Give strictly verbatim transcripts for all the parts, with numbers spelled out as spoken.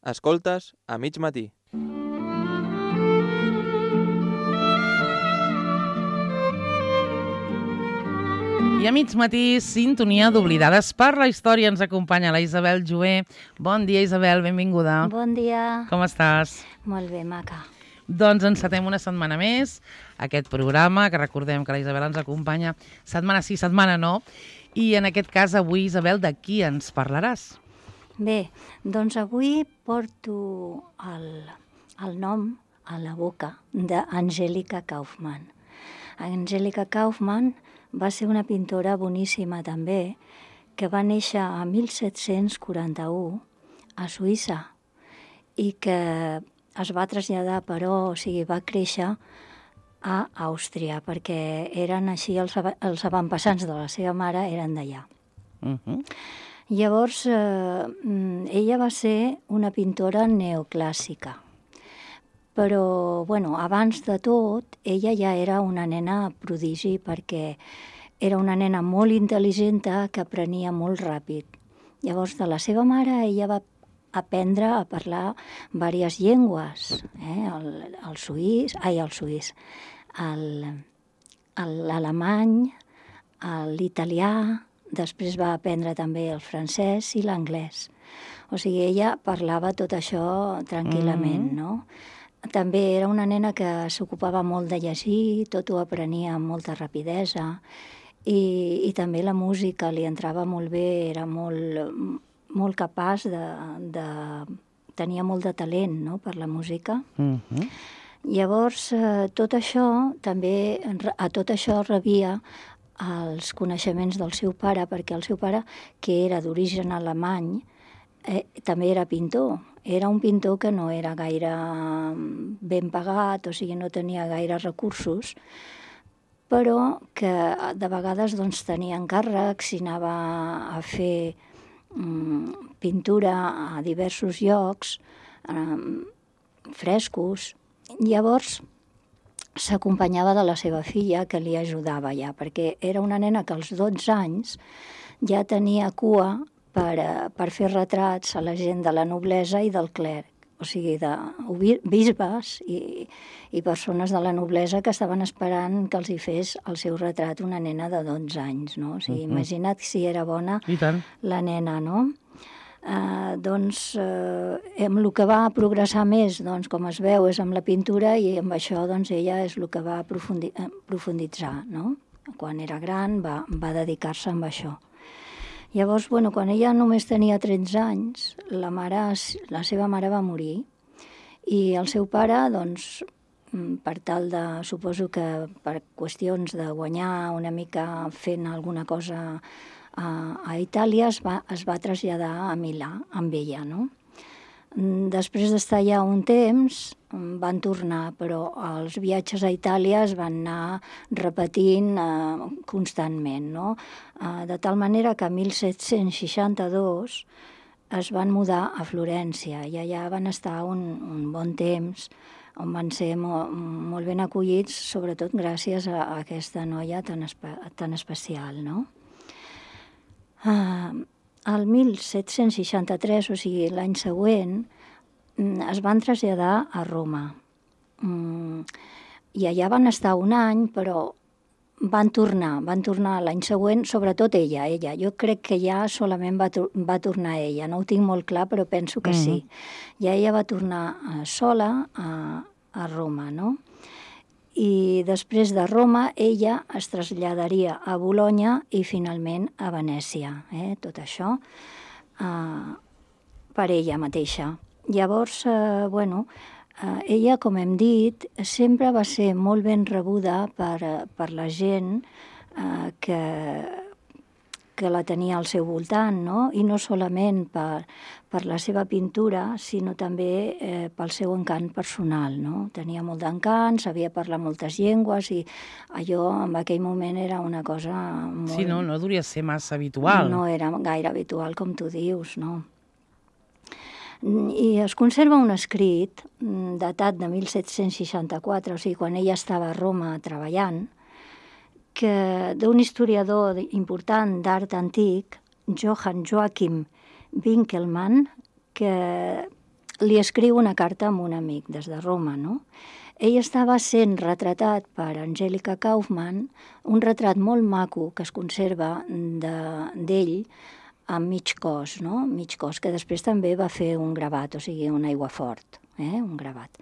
Escoltes a mig matí. I a mig matí, sintonia d'Oblidades per la història. Ens acompanya la Isabel Jover. Bon dia, Isabel, benvinguda. Bon dia. Com estàs? Molt bé, maca. Doncs encetem una setmana més aquest programa, que recordem que la Isabel ens acompanya setmana sí, setmana no. I en aquest cas, avui, Isabel, de qui ens parlaràs? Bé, doncs avui porto el, el nom a la boca d'Angèlica Kauffmann. Angèlica Kauffmann va ser una pintora boníssima també, que va néixer a mil set-cents quaranta-u a Suïssa i que es va traslladar, però, o sigui, va créixer a Àustria, perquè eren així els, els avantpassats de la seva mare, eren d'allà. Uh-huh. Llavors, eh, ella va ser una pintora neoclàssica, però, bueno, abans de tot, ella ja era una nena prodigi, perquè era una nena molt intel·ligent que aprenia molt ràpid. Llavors, de la seva mare, ella va aprendre a parlar diverses llengües, eh? el, el suís, ai, el suís, l'alemany, l'italià, després va aprendre també el francès i l'anglès. O sigui, ella parlava tot això tranquil·lament, mm. no? També era una nena que s'ocupava molt de llegir, tot ho aprenia amb molta rapidesa, i, i també la música li entrava molt bé, era molt, molt capaç de, de... tenia molt de talent, no?, per la música. Uh-huh. Llavors, eh, tot això, també, a tot això rebia els coneixements del seu pare, perquè el seu pare, que era d'origen alemany, eh, també era pintor. Era un pintor que no era gaire ben pagat, o sigui, no tenia gaire recursos, però que de vegades doncs, tenia encàrrecs i anava a fer mm, pintura a diversos llocs, eh, frescos. Llavors, s'acompanyava de la seva filla, que li ajudava ja, perquè era una nena que als dotze anys ja tenia cua per, per fer retrats a la gent de la noblesa i del clerg, o sigui, de bisbes i, i persones de la noblesa que estaven esperant que els hi fes el seu retrat una nena de dotze anys, no? O sigui, uh-huh. Imagina't si era bona la nena, no? Uh, doncs uh, amb el que va progressar més, doncs, com es veu, és amb la pintura, i amb això doncs, ella és el que va aprofundi- profunditzar, no? Quan era gran va, va dedicar-se amb això. Llavors, bueno, quan ella només tenia tretze anys, la, mare, la seva mare va morir, i el seu pare, doncs, per tal de, suposo que per qüestions de guanyar una mica fent alguna cosa a, a Itàlia, es va, es va traslladar a Milà amb ella, no? Després d'estar allà un temps, van tornar, però els viatges a Itàlia es van anar repetint eh, constantment, no? Eh, de tal manera que a mil set-cents seixanta-dos es van mudar a Florència, i allà van estar un, un bon temps, on van ser molt, molt ben acollits, sobretot gràcies a, a aquesta noia tan, espe tan especial, no? Uh, el mil set-cents seixanta-tres, o sigui, l'any següent, es van traslladar a Roma. Mm, I allà van estar un any, però van tornar, van tornar l'any següent, sobretot ella, ella. Jo crec que ja solament va, va tornar ella, no ho tinc molt clar, però penso que sí. Mm-hmm. I ella va tornar uh, sola a, a Roma, no? I després de Roma, ella es traslladaria a Bolonya i finalment a Venècia, eh? Tot això eh, per ella mateixa. Llavors, eh, bueno, eh, ella, com hem dit, sempre va ser molt ben rebuda per, per la gent eh, que, que la tenia al seu voltant, no? I no solament per, per la seva pintura, sinó també eh, pel seu encant personal, no? Tenia molt d'encant, sabia parlar moltes llengües, i allò en aquell moment era una cosa molt... Sí, no, no duria ser massa habitual. No era gaire habitual, com tu dius, no? I es conserva un escrit datat de mil set-cents seixanta-quatre, o sigui, quan ella estava a Roma treballant, que d'un historiador important d'art antic, Johann Joachim Winckelmann, que li escriu una carta a un amic des de Roma, no? Ell estava sent retratat per Angelica Kauffman, un retrat molt maco que es conserva d'ell amb mig cos, no? Mig cos, que després també va fer un gravat, o sigui, un aiguafort, eh? un gravat.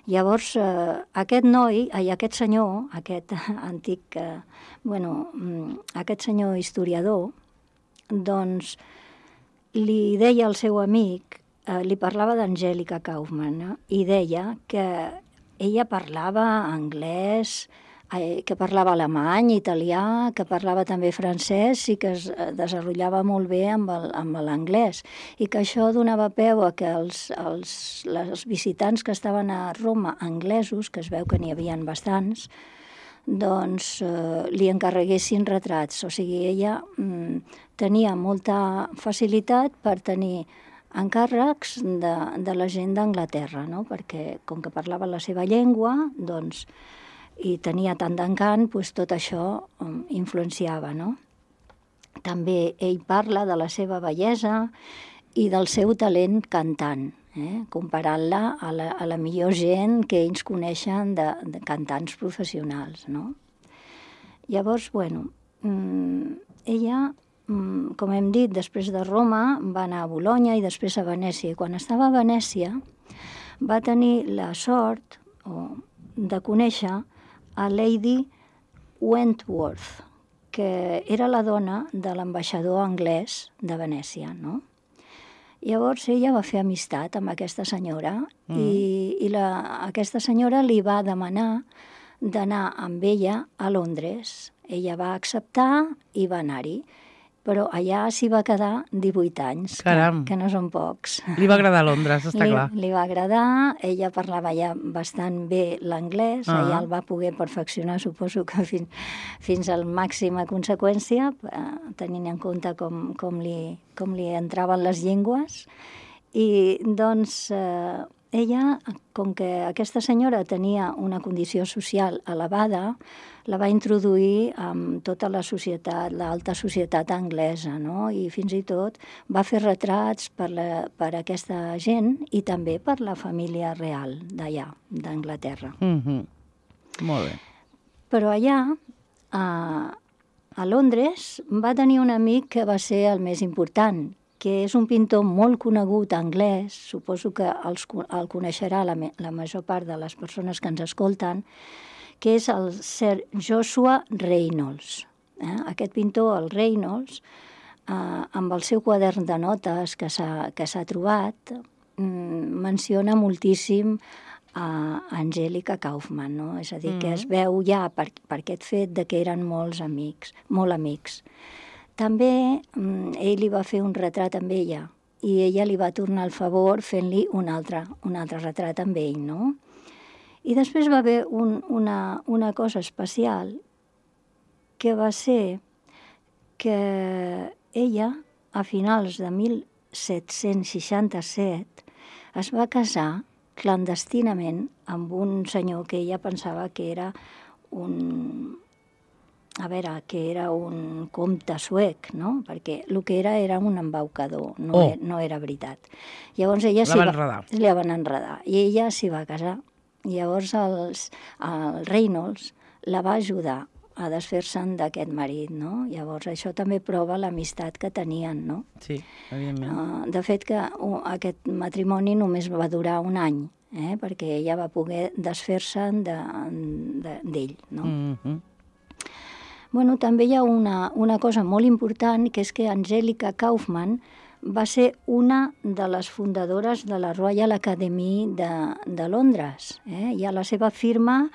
Llavors, eh, aquest noi, ai, aquest senyor, aquest antic, eh, bueno, aquest senyor historiador, doncs li deia al seu amic, eh, li parlava d'Angelica Kauffman, no? I deia que ella parlava anglès, eh, que parlava alemany, italià, que parlava també francès i que es desenvolupava molt bé amb l'anglès. I que això donava peu a que els, els, els visitants que estaven a Roma, anglesos, que es veu que n'hi havia bastants, doncs eh, li encarreguessin retrats. O sigui, ella mm, tenia molta facilitat per tenir encàrrecs de, de la gent d'Anglaterra, no? Perquè com que parlava la seva llengua, doncs, i tenia tant d'encant, doncs tot això um, influenciava, no? També ell parla de la seva bellesa i del seu talent cantant, eh? Comparant-la a, la, a la millor gent que ells coneixen de, de cantants professionals, no? Llavors, bueno, mm, ella, com hem dit, després de Roma va anar a Bolonya i després a Venècia. I quan estava a Venècia va tenir la sort oh, de conèixer a Lady Wentworth, que era la dona de l'ambaixador anglès de Venècia, no? Llavors ella va fer amistat amb aquesta senyora mm. i, i la, aquesta senyora li va demanar d'anar amb ella a Londres. Ella va acceptar i va anar-hi. Però allà s'hi va quedar divuit anys, que, que no són pocs. Li va agradar Londres, està li, clar. Li va agradar, ella parlava ja bastant bé l'anglès, uh -huh. Ella el va poder perfeccionar, suposo que fins, fins al màxima conseqüència, eh, tenint en compte com, com, li, com li entraven les llengües. I doncs eh, ella, com que aquesta senyora tenia una condició social elevada, la va introduir amb tota la societat, l'alta societat anglesa, no? I fins i tot va fer retrats per, la, per aquesta gent i també per la família real d'allà, d'Anglaterra. Mm-hmm. Molt bé. Però allà, a, a Londres, va tenir un amic que va ser el més important, que és un pintor molt conegut anglès, suposo que els, el coneixerà la, la major part de les persones que ens escolten, que és el Sir Joshua Reynolds. Eh? Aquest pintor, el Reynolds, eh, amb el seu quadern de notes que s'ha que s'ha trobat, mm, menciona moltíssim a Angelica Kauffman, no? És a dir, mm. que es veu ja per, per aquest fet de que eren molts amics, molt amics. També mm, ell li va fer un retrat amb ella i ella li va tornar el favor fent-li un altre, un altre retrat amb ell, no? I després va haver un, una, una cosa especial que va ser que ella, a finals de mil set-cents seixanta-set, es va casar clandestinament amb un senyor que ella pensava que era un... a veure, que era un comte suec, no? Perquè el que era era un embaucador, no, oh. era, no era veritat. Llavors ella la van enredar. La van enredar i ella s'hi va casar. Llavors els, el Reynolds la va ajudar a desfer-se'n d'aquest marit, no? Llavors això també prova l'amistat que tenien, no? Sí, evidentment. Uh, de fet que uh, aquest matrimoni només va durar un any, eh? Perquè ella va poder desfer-se'n d'ell, de, de, no? Mm-hmm. Bueno, també hi ha una, una cosa molt important, que és que Angelica Kauffman va ser una de les fundadores de la Royal Academy de, de Londres. Eh? I a la seva firma,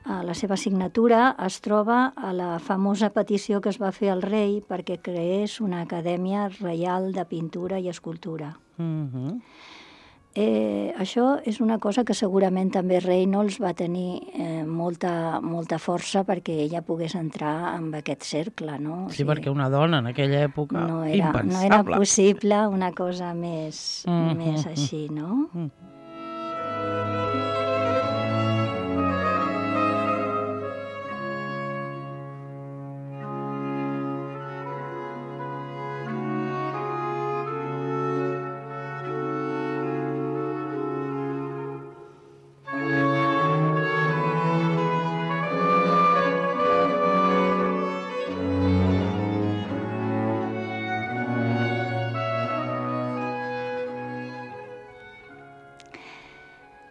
a la seva signatura, es troba a la famosa petició que es va fer al rei perquè creés una acadèmia reial de pintura i escultura. Mm-hmm. Eh, això és una cosa que segurament també Reynolds va tenir eh, molta, molta força perquè ella pogués entrar en aquest cercle, no? O Sí, sigui, perquè una dona en aquella època, no era, impensable. no era possible una cosa més, Mm-hmm. més així, no? Mm.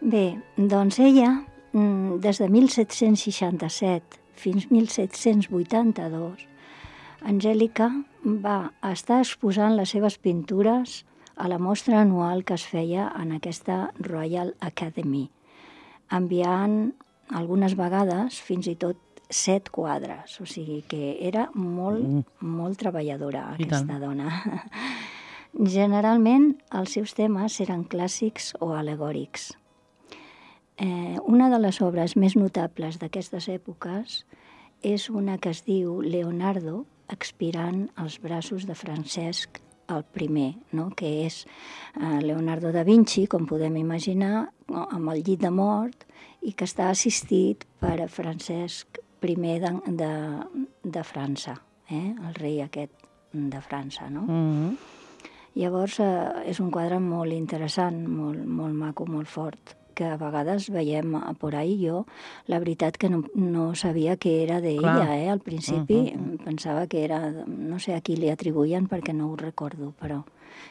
Bé, doncs ella, des de mil set-cents seixanta-set fins mil set-cents vuitanta-dos, Angèlica va estar exposant les seves pintures a la mostra anual que es feia en aquesta Royal Academy, enviant algunes vegades fins i tot set quadres, o sigui que era molt, mm. molt treballadora aquesta dona. Generalment els seus temes eren clàssics o alegòrics. Eh, una de les obres més notables d'aquestes èpoques és una que es diu Leonardo expirant als braços de Francesc el primer, no? Que és eh, Leonardo da Vinci, com podem imaginar, amb el llit de mort i que està assistit per Francesc primer de, de, de França, eh? El rei aquest de França, no? Mm-hmm. Llavors eh, és un quadre molt interessant, molt, molt maco, molt fort, que a vegades veiem por ahí. Jo, la veritat que no, no sabia que era d'ella, eh? Al principi uh-huh. pensava que era, no sé a qui li atribuïen perquè no ho recordo, però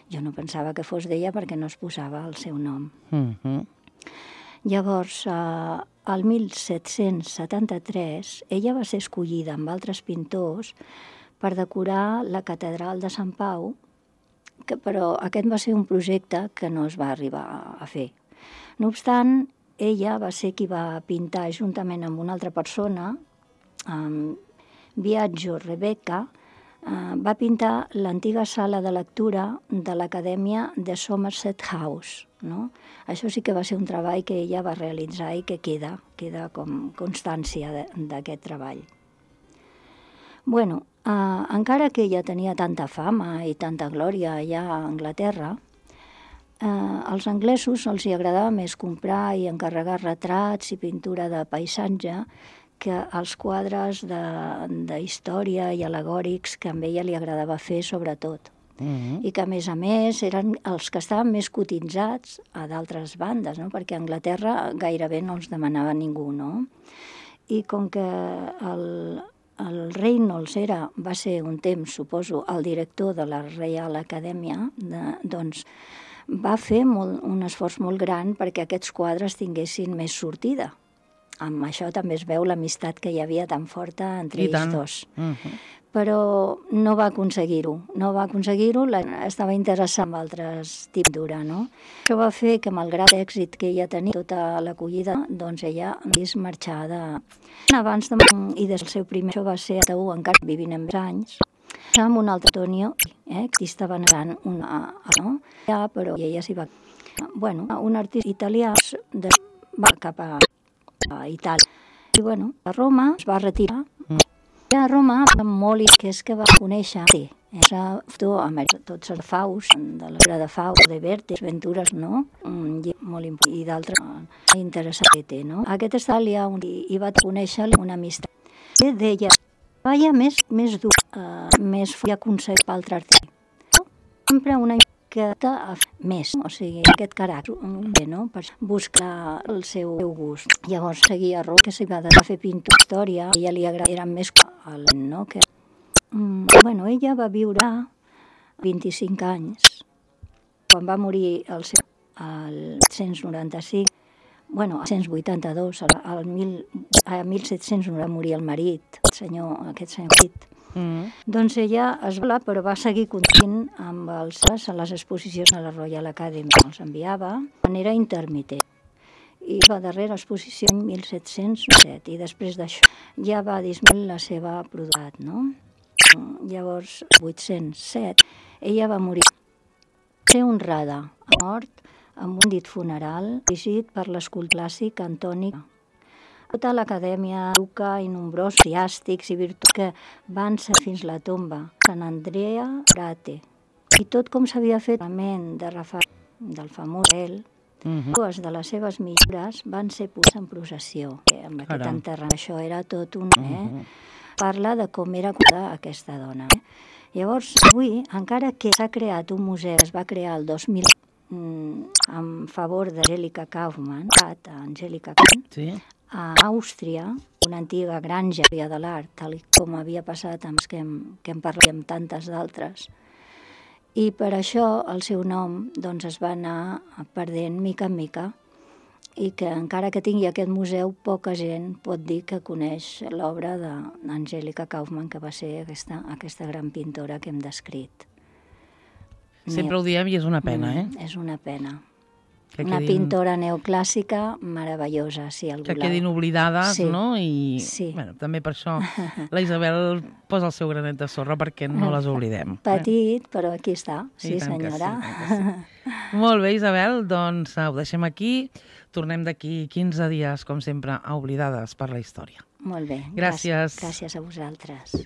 jo no pensava que fos d'ella perquè no es posava el seu nom. Uh-huh. Llavors, eh, al mil set-cents setanta-tres, ella va ser escollida amb altres pintors per decorar la catedral de Sant Pau, que, però aquest va ser un projecte que no es va arribar a fer. No obstant, ella va ser qui va pintar juntament amb una altra persona, um, Biagio Rebecca, uh, va pintar l'antiga sala de lectura de l'Acadèmia de Somerset House, no? Això sí que va ser un treball que ella va realitzar i que queda, queda com constància d'aquest treball. Bueno, uh, encara que ella tenia tanta fama i tanta glòria allà a Anglaterra, Eh, als anglesos els hi agradava més comprar i encarregar retrats i pintura de paisatge que els quadres de, de història i alegòrics que a ella li agradava fer sobretot. Mm-hmm. I que a més a més eren els que estaven més cotitzats a d'altres bandes, no? Perquè a Anglaterra gairebé no els demanava ningú, no? I com que el, el Reynolds era, va ser un temps, suposo, el director de la Reial Acadèmia, de, doncs va fer molt, un esforç molt gran perquè aquests quadres tinguessin més sortida. Amb això també es veu l'amistat que hi havia tan forta entre ells dos. Uh-huh. Però no va aconseguir-ho. No va aconseguir-ho, estava interessat en altres tipus d'ura, no? Això va fer que, malgrat l'èxit que ella tenia, tota l'acollida, doncs ella vist marxar de... Abans de... I des del seu primer... Això va ser a Taú, encara vivint en més anys, amb un altre Antonio, eh, que estava negant una... No? Ja, però ella s'hi va... Bueno, un artista italià de... va cap a, a Itàlia. I bueno, a Roma es va retirar. Mm. I a Roma, molt i que és que va conèixer... Sí, és a tots els Faus, de l'obra de Faus, de Vertes, Ventures, no? Un llibre molt important i d'altres interessants que té, no? Aquest està allà i, i va conèixer una amistat. I deia... Vaja més, més dur, uh, més fui aconseguir per altre artista. Sempre una miqueta més, o sigui, aquest caràcter, no? Per buscar el seu gust. Llavors seguia Roma, que s'hi va de fer pintura, història, a ella li agradava, era més al no? Que... Mm, bueno, ella va viure vint-i-cinc anys, quan va morir el seu, el set-cents noranta-cinc, bueno, al set-cents vuitanta-dos, al mil, a mil set-cents va morir el marit, el senyor, aquest senyor marit. Mm. Doncs ella es va, però va seguir continuant amb els, a les exposicions a la Royal Academy. Els enviava de manera intermitent. I la darrera exposició en mil set-cents set, i després d'això ja va disminuir la seva productivitat, no? Llavors, vuit-cents set, ella va morir. Va ser honrada, a mort, amb un dit funeral, dirigit per l'escultor clàssic Antoni. Tota l'acadèmia educa i nombrosos eclesiàstics i virtuts que van ser fins la tomba, Sant Andrea Frate. I tot com s'havia fet de Rafael, del famós Rafael, uh-huh. Dues de les seves millores van ser posades en processió. Amb aquest enterrament, això era tot un... Eh? Uh-huh. Parla de com era aquesta dona. Eh? Llavors, avui, encara que s'ha creat un museu, es va crear el dos mil en favor d'Angèlica Kaufmann, Angèlica Kaufmann, sí. A Àustria, una antiga granja de l'art, tal com havia passat amb que hem, que hem parlat amb tantes d'altres. I per això el seu nom doncs, es va anar perdent mica en mica i que encara que tingui aquest museu, poca gent pot dir que coneix l'obra d'Angèlica Kauffmann, que va ser aquesta, aquesta gran pintora que hem descrit. Sempre ho diem i és una pena, eh? Mm, és una pena. Que Una quedin... pintora neoclàssica meravellosa, si algú que la... quedin oblidades, Sí, no? I sí. bueno, també per això la Isabel posa el seu granet de sorra perquè no les oblidem. Eh? Petit, però aquí està, sí, I tant que senyora. sí, tant que sí. Molt bé, Isabel, doncs ho deixem aquí. Tornem d'aquí quinze dies, com sempre, a Oblidades per la Història. Molt bé. Gràcies. Gràcies a vosaltres.